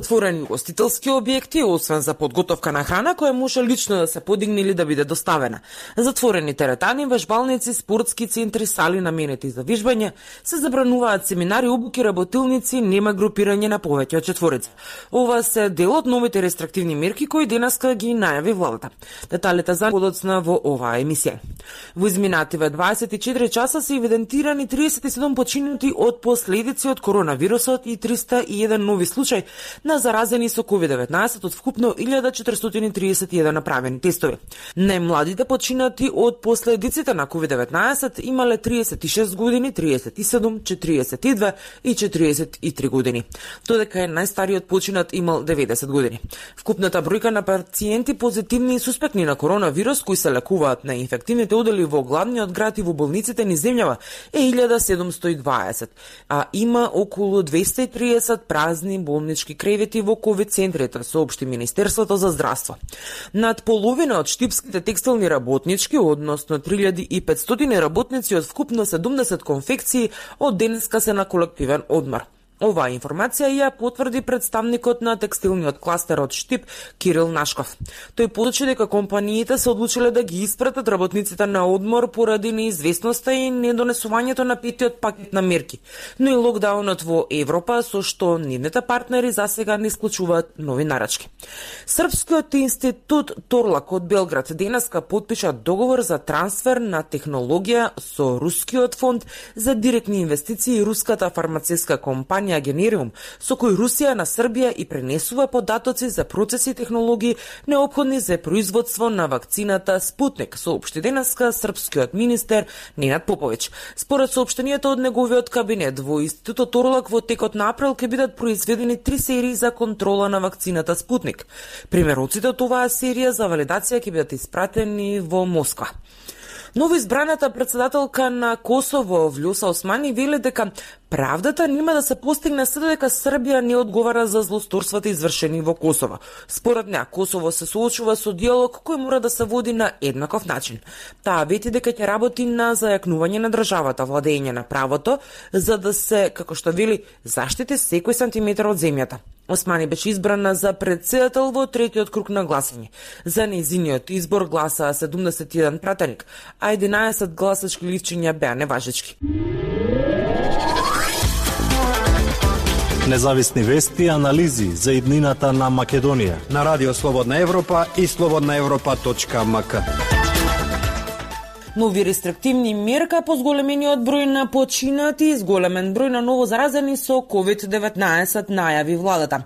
Отворени гостителски објекти, освен за подготовка на храна која може лично да се подигне или да биде доставена. Затворени теретани, вежбалници, спортски центри, сали наменети за вежбање, се забрануваат семинари, обуки, работилници, нема групирање на повеќе од четворица. Ова се дел од новите рестриктивни мерки кои денеска ги најави владата. Деталите за подоцна во оваа емисија. Во изминативе 24 часа се евидентирани 37 починати од последици од коронавирусот и 301 нови случаи на заразени со COVID-19 од вкупно 1431 направени тестови. Најмладите починати од последиците на COVID-19 имале 36 години, 37, 42 и 43 години. Додека најстариот починат имал 90 години. Вкупната бројка на пациенти позитивни и суспектни на коронавирус кои се лекуваат на инфективните одели во главниот град и во болниците низ земјава е 1720, а има околу 230 празни болнички кревети во ковид центрите, соопшти Министерството за здравство. Над половина од штипските текстилни работнички, односно 3500 работници од вкупно 70 конфекции, од денеска се на колективен одмор. Оваа информација ја потврди представникот на текстилниот кластер од Штип, Кирил Нашков. Тој посочи дека компаниите се одлучиле да ги испратат работниците на одмор поради неизвестноста и недонесувањето на петиот пакет на мерки, но и локдаунот во Европа, со што нивните партнери засега не исклучуваат нови нарачки. Српскиот институт Торлак од Белград денеска потпиша договор за трансфер на технологија со Рускиот фонд за директни инвестиции и руската фармацевска компанија Генериум, со кој Русија на Србија и пренесува податоци за процеси и технологии неопходни за производство на вакцината Спутник, соопшти денеска српскиот министер Ненад Поповиќ. Според соопштенијата од неговиот кабинет, во институтот Торлак во текот на април ќе бидат произведени 3 серии за контрола на вакцината Спутник. Примероците од оваа серија за валидација ќе бидат испратени во Москва. Новоизбраната председателка на Косово, Влјоса Османи, вели дека правдата нема да се постигне се додека Србија не одговара за злосторствата извршени во Косово. Според неа, Косово се соочува со диалог кој мора да се води на еднаков начин. Таа вети дека ќе работи на зајакнување на државата, владење на правото, за да се, како што вели, заштити секој сантиметар од земјата. Османи беше избрана за председател во третиот круг на гласање. За нејзиниот избор гласаа 71 пратеник, а 11 гласачки листчиња беа неважечки. Независни вести и анализи за иднината на Македонија на Радио Слободна Европа и slobodnaevropa.mk. Нови рестриктивни мерка по зголемениот број на починати и зголемен број на ново заразени со COVID-19 најави владата.